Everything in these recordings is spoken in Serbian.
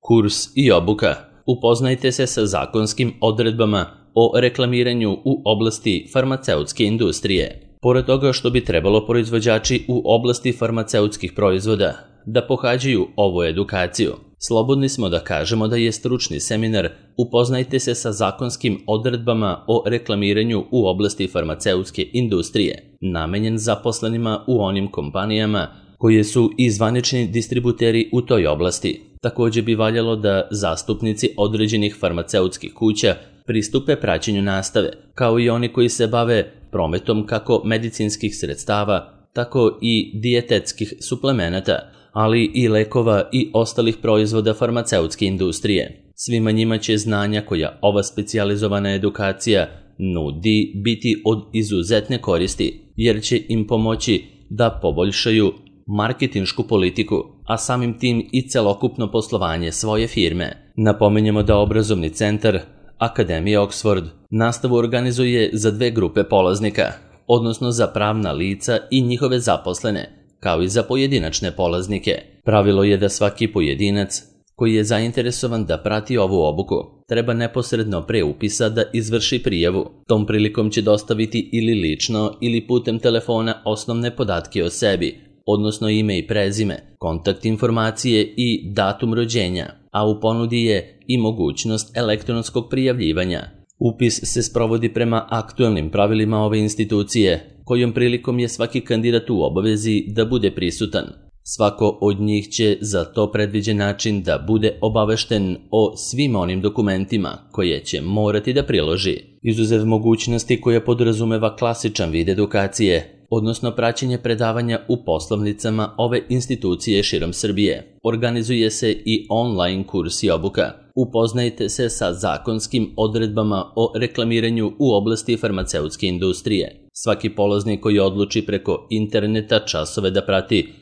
Kurs i obuka. Upoznajte se sa zakonskim odredbama o reklamiranju u oblasti farmaceutske industrije. Pored toga što bi trebalo proizvođači u oblasti farmaceutskih proizvoda da pohađaju ovu edukaciju, slobodni smo da kažemo da je stručni seminar Upoznajte se sa zakonskim odredbama o reklamiranju u oblasti farmaceutske industrije namenjen zaposlenima u onim kompanijama koje su i zvanični distributeri u toj oblasti. Također bi valjalo da zastupnici određenih farmaceutskih kuća pristupe praćenju nastave, kao i oni koji se bave prometom kako medicinskih sredstava, tako i dijetetskih suplemenata, ali i lekova i ostalih proizvoda farmaceutske industrije. Svima njima će znanja koja ova specijalizovana edukacija nudi biti od izuzetne koristi, jer će im pomoći da poboljšaju marketinšku politiku, a samim tim i celokupno poslovanje svoje firme. Napominjemo da obrazovni centar Akademije Oxford nastavu organizuje za 2 grupe polaznika, odnosno za pravna lica i njihove zaposlene, kao i za pojedinačne polaznike. Pravilo je da svaki pojedinac koji je zainteresovan da prati ovu obuku treba neposredno pre upisa da izvrši prijavu. Tom prilikom će dostaviti ili lično ili putem telefona osnovne podatke o sebi, odnosno ime i prezime, kontakt informacije i datum rođenja, a u ponudi je i mogućnost elektronskog prijavljivanja. Upis se sprovodi prema aktuelnim pravilima ove institucije, kojom prilikom je svaki kandidat u obavezi da bude prisutan. Svako od njih će za to predviđen način da bude obavešten o svim onim dokumentima koje će morati da priloži. Izuzev mogućnosti koja podrazumeva klasičan vid edukacije, odnosno praćenje predavanja u poslovnicama ove institucije širom Srbije, organizuje se i online kurs i obuka. Upoznajte se sa zakonskim odredbama o reklamiranju u oblasti farmaceutske industrije. Svaki polaznik koji odluči preko interneta časove da prati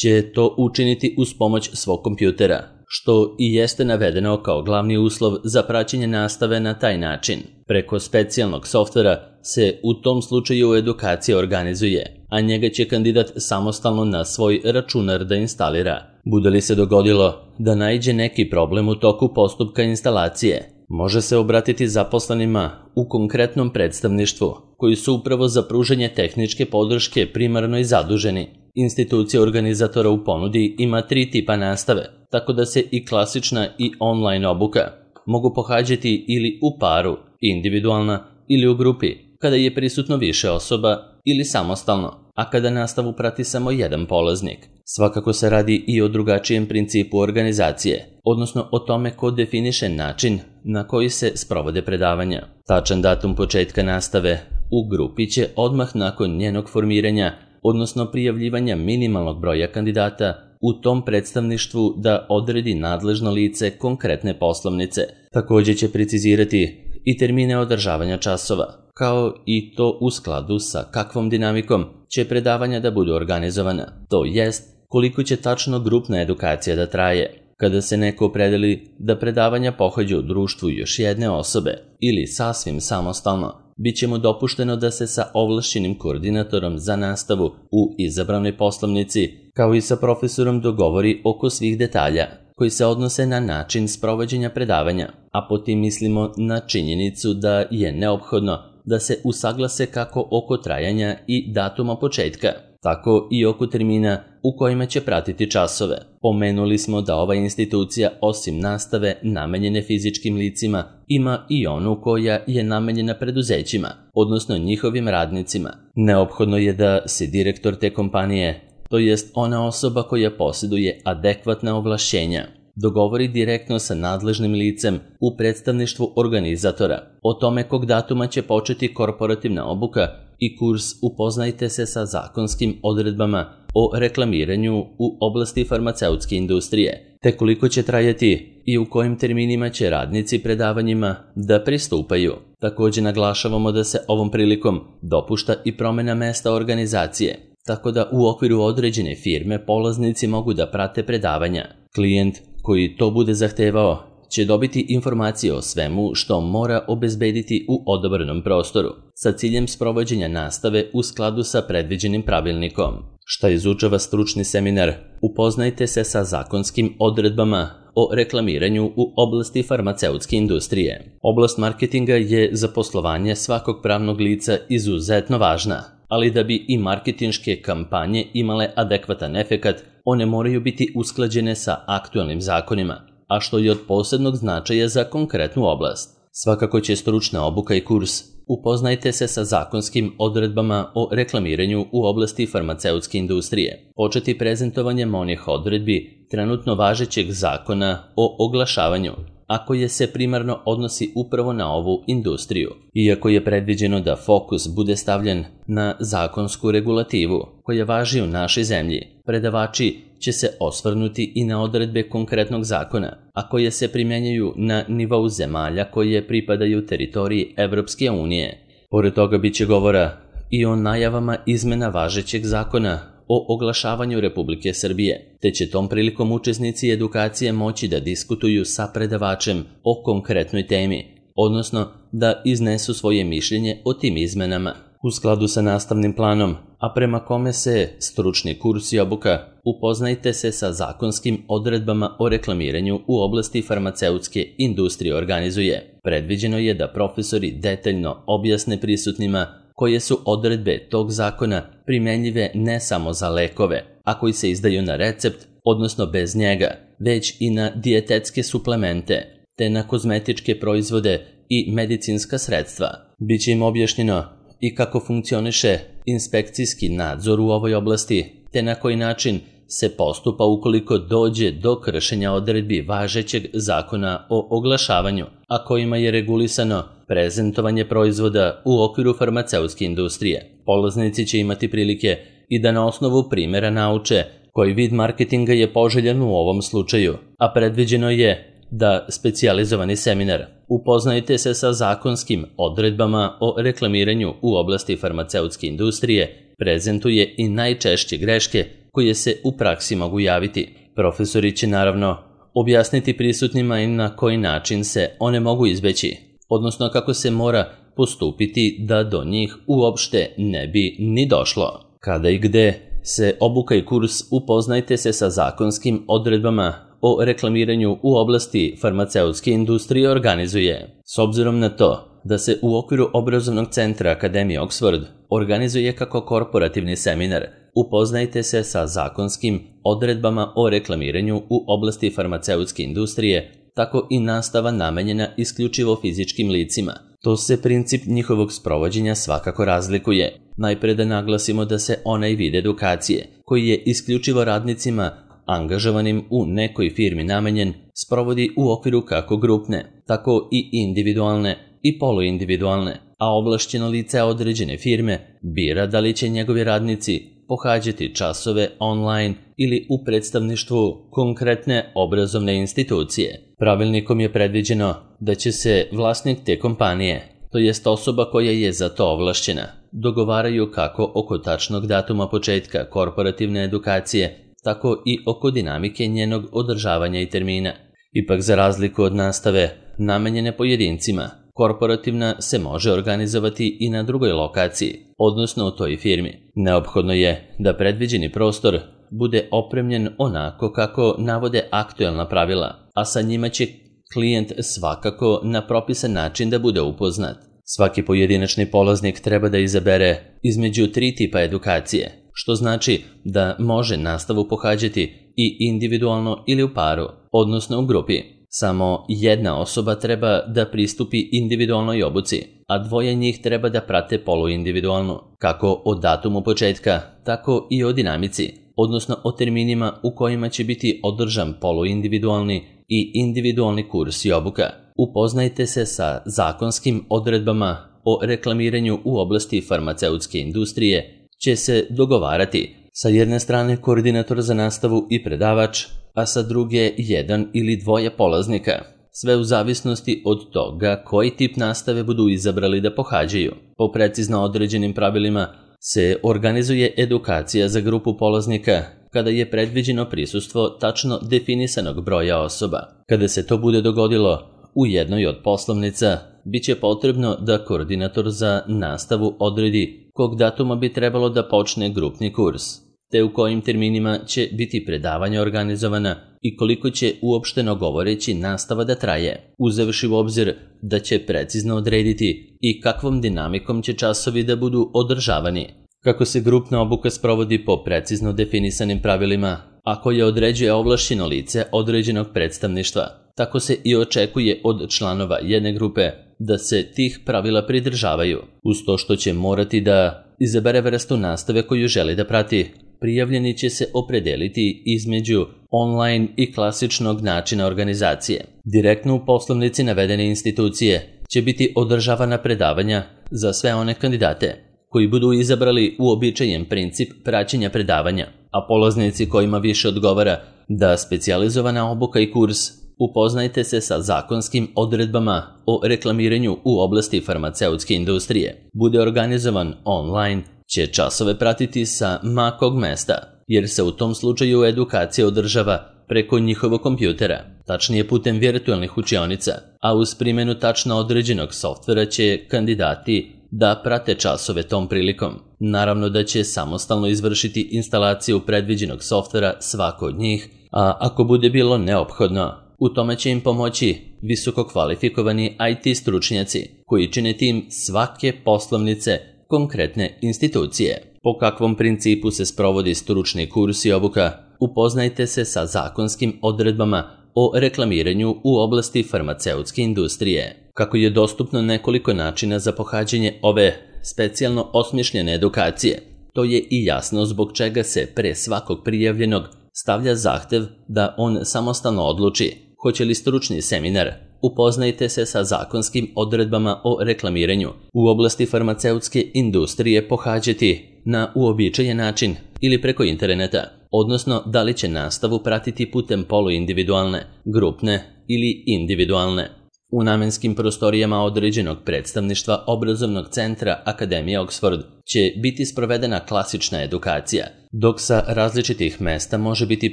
će to učiniti uz pomoć svog kompjutera, što i jeste navedeno kao glavni uslov za praćenje nastave na taj način. Preko specijalnog softvera se u tom slučaju edukacija organizuje, a njega će kandidat samostalno na svoj računar da instalira. Bude li se dogodilo da naiđe neki problem u toku postupka instalacije, može se obratiti zaposlenima u konkretnom predstavništvu, koji su upravo za pružanje tehničke podrške primarno i zaduženi. Institucija organizatora u ponudi ima 3 tipa nastave, tako da se i klasična i online obuka mogu pohađati ili u paru, individualna ili u grupi, kada je prisutno više osoba ili samostalno, a kada nastavu prati samo jedan polaznik. Svakako se radi i o drugačijem principu organizacije, odnosno o tome ko definiše način na koji se sprovode predavanja. Tačan datum početka nastave u grupi će odmah nakon njenog formiranja, odnosno prijavljivanja minimalnog broja kandidata u tom predstavništvu da odredi nadležno lice konkretne poslovnice. Također će precizirati i termine održavanja časova, kao i to u skladu sa kakvom dinamikom će predavanja da budu organizovana, to jest koliko će tačno grupna edukacija da traje. Kada se neko opredeli da predavanja pohađa u društvu još jedne osobe ili sasvim samostalno, bit će mu dopušteno da se sa ovlašćenim koordinatorom za nastavu u izabranoj poslovnici, kao i sa profesorom dogovori oko svih detalja koji se odnose na način sprovođenja predavanja, a po tim mislimo na činjenicu da je neophodno da se usaglase kako oko trajanja i datuma početka, tako i oko termina u kojima će pratiti časove. Pomenuli smo da ova institucija osim nastave namenjene fizičkim licima ima i onu koja je namenjena preduzećima, odnosno njihovim radnicima. Neophodno je da se direktor te kompanije, to jest ona osoba koja posjeduje adekvatna ovlašćenja, dogovori direktno sa nadležnim licem u predstavništvu organizatora o tome kog datuma će početi korporativna obuka i kurs Upoznajte se sa zakonskim odredbama o reklamiranju u oblasti farmaceutske industrije, te koliko će trajati i u kojim terminima će radnici predavanjima da pristupaju. Također naglašavamo da se ovom prilikom dopušta i promjena mesta organizacije, tako da u okviru određene firme polaznici mogu da prate predavanja. Klijent koji to bude zahtevao će dobiti informacije o svemu što mora obezbediti u odabranom prostoru, sa ciljem sprovođenja nastave u skladu sa predviđenim pravilnikom. Šta izučava stručni seminar? Upoznajte se sa zakonskim odredbama o reklamiranju u oblasti farmaceutske industrije. Oblast marketinga je za poslovanje svakog pravnog lica izuzetno važna, ali da bi i marketinške kampanje imale adekvatan efekat, one moraju biti usklađene sa aktualnim zakonima, a što je od posebnog značaja za konkretnu oblast. Svakako će stručna obuka i kurs Upoznajte se sa zakonskim odredbama o reklamiranju u oblasti farmaceutske industrije početi prezentovanjem onih odredbi trenutno važećeg zakona o oglašavanju, a koje se primarno odnosi upravo na ovu industriju. Iako je predviđeno da fokus bude stavljen na zakonsku regulativu koja važi u našoj zemlji, predavači će se osvrnuti i na odredbe konkretnog zakona, a koje se primjenjuju na nivou zemalja koje pripadaju teritoriji Evropske unije. Pored toga biće govora i o najavama izmena važećeg zakona o oglašavanju Republike Srbije, te će tom prilikom učesnici edukacije moći da diskutuju sa predavačem o konkretnoj temi, odnosno da iznesu svoje mišljenje o tim izmenama u skladu sa nastavnim planom, a prema kome se stručni kurs i obuka Upoznajte se sa zakonskim odredbama o reklamiranju u oblasti farmaceutske industrije organizuje. Predviđeno je da profesori detaljno objasne prisutnima koje su odredbe tog zakona primenljive ne samo za lekove, a koji se izdaju na recept, odnosno bez njega, već i na dijetetske suplemente, te na kozmetičke proizvode i medicinska sredstva. Biće im objašnjeno i kako funkcioniše inspekcijski nadzor u ovoj oblasti, te na koji način se postupa ukoliko dođe do kršenja odredbi važećeg zakona o oglašavanju, a kojima je regulisano prezentovanje proizvoda u okviru farmaceutske industrije. Polaznici će imati prilike i da na osnovu primjera nauče koji vid marketinga je poželjan u ovom slučaju, a predviđeno je da specijalizovani seminar Upoznajte se sa zakonskim odredbama o reklamiranju u oblasti farmaceutske industrije prezentuje i najčešće greške koje se u praksi mogu javiti. Profesori će naravno objasniti prisutnima i na koji način se one mogu izbeći, odnosno kako se mora postupiti da do njih uopšte ne bi ni došlo. Kada i gde se obuka i kurs Upoznajte se sa zakonskim odredbama o reklamiranju u oblasti farmaceutske industrije organizuje. S obzirom na to da se u okviru obrazovnog centra Akademije Oxford organizuje kako korporativni seminar Upoznajte se sa zakonskim odredbama o reklamiranju u oblasti farmaceutske industrije, tako i nastava namenjena isključivo fizičkim licima. To se princip njihovog sprovođenja svakako razlikuje. Najpre da naglasimo da se onaj vid edukacije, koji je isključivo radnicima angažovanim u nekoj firmi namenjen, sprovodi u okviru kako grupne, tako i individualne i poluindividualne, a ovlašćeno lice određene firme bira da li će njegovi radnici pohađati časove online ili u predstavništvu konkretne obrazovne institucije. Pravilnikom je predviđeno da će se vlasnik te kompanije, to jest osoba koja je za to ovlašćena, dogovaraju kako oko tačnog datuma početka korporativne edukacije, tako i oko dinamike njenog održavanja i termina. Ipak za razliku od nastave namenjene pojedincima, korporativna se može organizovati i na drugoj lokaciji, odnosno u toj firmi. Neophodno je da predviđeni prostor bude opremljen onako kako navode aktuelna pravila, a sa njima će klijent svakako na propisan način da bude upoznat. Svaki pojedinačni polaznik treba da izabere između 3 tipa edukacije, što znači da može nastavu pohađati i individualno ili u paru, odnosno u grupi. Samo jedna osoba treba da pristupi individualnoj obuci, a 2 njih treba da prate poluindividualnu, kako o datumu početka, tako i o dinamici, odnosno o terminima u kojima će biti održan poluindividualni i individualni kurs i obuka. Upoznajte se sa zakonskim odredbama o reklamiranju u oblasti farmaceutske industrije će se dogovarati sa jedne strane koordinator za nastavu i predavač, a sa druge 1 ili 2 polaznika, sve u zavisnosti od toga koji tip nastave budu izabrali da pohađaju. Po precizno određenim pravilima se organizuje edukacija za grupu polaznika kada je predviđeno prisustvo tačno definisanog broja osoba. Kada se to bude dogodilo u jednoj od poslovnica, bit će potrebno da koordinator za nastavu odredi kog datuma bi trebalo da počne grupni kurs, te u kojim terminima će biti predavanja organizovana i koliko će uopšteno govoreći nastava da traje, uzevši u obzir da će precizno odrediti i kakvom dinamikom će časovi da budu održavani. Kako se grupna obuka sprovodi po precizno definisanim pravilima, a koje određuje ovlašćeno lice određenog predstavništva, tako se i očekuje od članova jedne grupe da se tih pravila pridržavaju, uz to što će morati da izabere vrstu nastave koju želi da prati. Prijavljeni će se opredeliti između online i klasičnog načina organizacije. Direktno u poslovnici navedene institucije će biti održavana predavanja za sve one kandidate koji budu izabrali uobičajen princip praćenja predavanja, a polaznici kojima više odgovara da specijalizovana obuka i kurs upoznajte se sa zakonskim odredbama o reklamiranju u oblasti farmaceutske industrije bude organizovan online, će časove pratiti sa ma kog mesta, jer se u tom slučaju edukacija održava preko njihovog kompjutera, tačnije putem virtualnih učionica, a uz primjenu tačno određenog softvera će kandidati da prate časove tom prilikom. Naravno da će samostalno izvršiti instalaciju predviđenog softvera svako od njih, a ako bude bilo neophodno, u tome će im pomoći visoko kvalifikovani IT stručnjaci koji čine tim svake poslovnice konkretne institucije. Po kakvom principu se sprovodi stručni kurs i obuka, upoznajte se sa zakonskim odredbama o reklamiranju u oblasti farmaceutske industrije. Kako je dostupno nekoliko načina za pohađanje ove specijalno osmišljene edukacije, to je i jasno zbog čega se pre svakog prijavljenog stavlja zahtev da on samostalno odluči hoće li stručni seminar upoznajte se sa zakonskim odredbama o reklamiranju u oblasti farmaceutske industrije pohađati na uobičajen način ili preko interneta, odnosno da li će nastavu pratiti putem poluindividualne, grupne ili individualne. U namenskim prostorijama određenog predstavništva obrazovnog centra Akademije Oxford će biti sprovedena klasična edukacija, dok sa različitih mesta može biti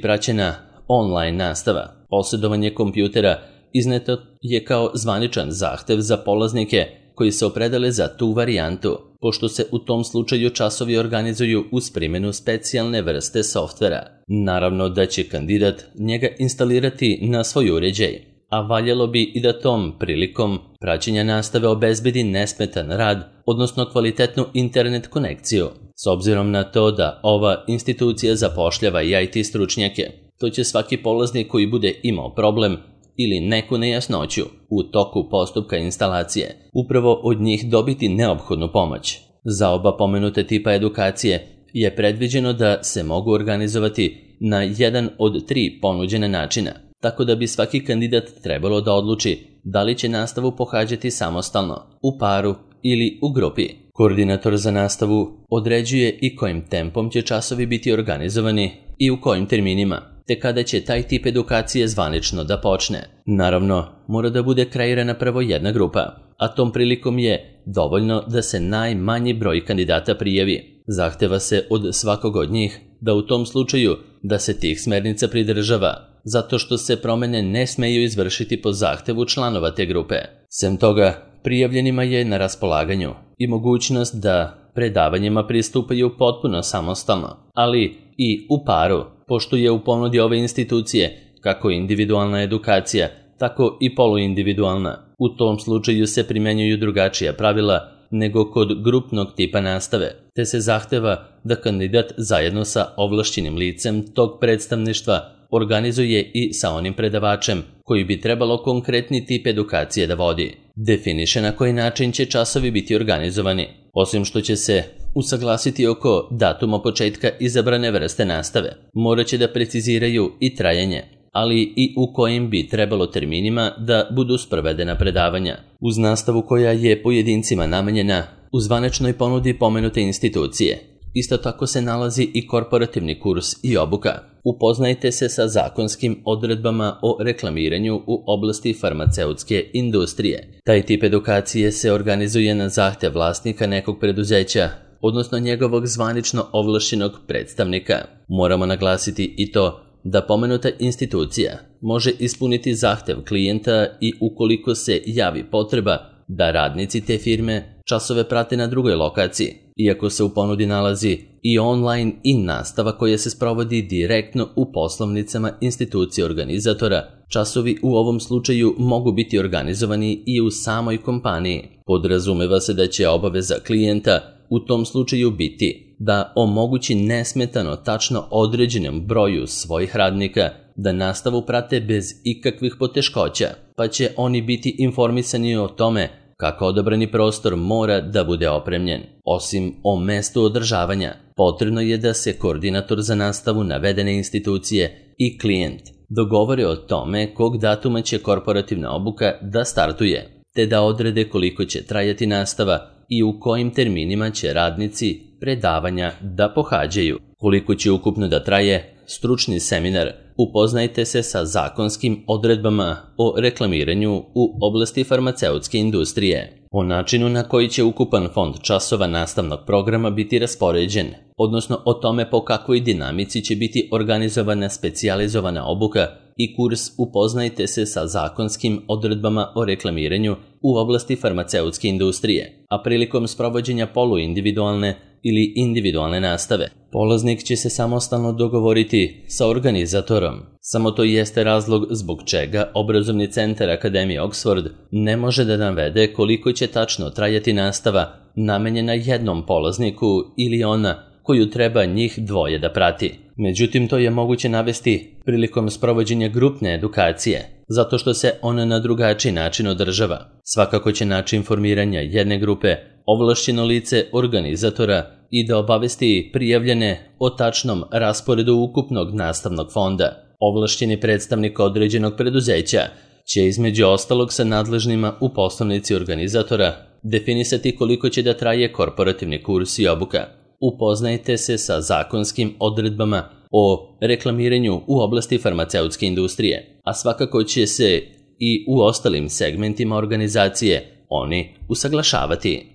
praćena online nastava. Posjedovanje kompjutera izneto je kao zvaničan zahtev za polaznike koji se opredele za tu varijantu, pošto se u tom slučaju časovi organizuju uz primjenu specijalne vrste softvera. Naravno da će kandidat njega instalirati na svoj uređaj, a valjalo bi i da tom prilikom praćenja nastave obezbedi nesmetan rad, odnosno kvalitetnu internet konekciju. S obzirom na to da ova institucija zapošljava i IT stručnjake, to će svaki polaznik koji bude imao problem ili neku nejasnoću u toku postupka instalacije upravo od njih dobiti neophodnu pomoć. Za oba pomenute tipa edukacije je predviđeno da se mogu organizovati na jedan od 3 ponuđene načina, tako da bi svaki kandidat trebalo da odluči da li će nastavu pohađati samostalno, u paru ili u grupi. Koordinator za nastavu određuje i kojim tempom će časovi biti organizovani i u kojim terminima, te kada će taj tip edukacije zvanično da počne. Naravno, mora da bude kreirana prvo jedna grupa, a tom prilikom je dovoljno da se najmanji broj kandidata prijavi. Zahteva se od svakog od njih da u tom slučaju da se tih smernica pridržava, zato što se promene ne smeju izvršiti po zahtevu članova te grupe. Sem toga, prijavljenima je na raspolaganju i mogućnost da predavanjima pristupaju potpuno samostalno, ali i u paru, pošto je u ponudi ove institucije kako individualna edukacija, tako i poluindividualna. U tom slučaju se primenjuju drugačija pravila nego kod grupnog tipa nastave, te se zahteva da kandidat zajedno sa ovlašćenim licem tog predstavništva organizuje i sa onim predavačem koji bi trebalo konkretni tip edukacije da vodi. Definiše na koji način će časovi biti organizovani, osim što će se usaglasiti oko datuma početka izabrane vrste nastave. Morat će da preciziraju i trajanje, ali i u kojim bi trebalo terminima da budu sprovedena predavanja. Uz nastavu koja je pojedincima namenjena u zvaničnoj ponudi pomenute institucije, isto tako se nalazi i korporativni kurs i obuka. Upoznajte se sa zakonskim odredbama o reklamiranju u oblasti farmaceutske industrije. Taj tip edukacije se organizuje na zahtev vlasnika nekog preduzeća, odnosno njegovog zvanično ovlašćenog predstavnika. Moramo naglasiti i to da pomenuta institucija može ispuniti zahtev klijenta i ukoliko se javi potreba da radnici te firme časove prate na drugoj lokaciji, iako se u ponudi nalazi i online i nastava koja se sprovodi direktno u poslovnicama institucije organizatora. Časovi u ovom slučaju mogu biti organizovani i u samoj kompaniji. Podrazumeva se da će obaveza klijenta u tom slučaju biti da omogući nesmetano tačno određenom broju svojih radnika da nastavu prate bez ikakvih poteškoća, pa će oni biti informisani o tome kako odabrani prostor mora da bude opremljen. Osim o mestu održavanja, potrebno je da se koordinator za nastavu navedene institucije i klijent dogovore o tome kog datuma će korporativna obuka da startuje, te da odrede koliko će trajati nastava i u kojim terminima će radnici predavanja da pohađaju. Koliko će ukupno da traje stručni seminar, upoznajte se sa zakonskim odredbama o reklamiranju u oblasti farmaceutske industrije, o načinu na koji će ukupan fond časova nastavnog programa biti raspoređen, odnosno o tome po kakvoj dinamici će biti organizovana specijalizovana obuka i kurs. Upoznajte se sa zakonskim odredbama o reklamiranju u oblasti farmaceutske industrije, a prilikom sprovođenja poluindividualne ili individualne nastave, polaznik će se samostalno dogovoriti sa organizatorom. Samo to jeste razlog zbog čega obrazovni centar Akademije Oxford ne može da navede koliko će tačno trajati nastava namenjena jednom polazniku ili ona koju treba njih dvoje da prati. Međutim, to je moguće navesti prilikom sprovođenja grupne edukacije, zato što se ona na drugačiji način održava. Svakako će način formiranja jedne grupe ovlašćeno lice organizatora i da obavesti prijavljene o tačnom rasporedu ukupnog nastavnog fonda. Ovlašćeni predstavnik određenog preduzeća će između ostalog sa nadležnima u poslovnici organizatora definisati koliko će da traje korporativni kurs i obuka. Upoznajte se sa zakonskim odredbama o reklamiranju u oblasti farmaceutske industrije, a svakako će se i u ostalim segmentima organizacije oni usaglašavati.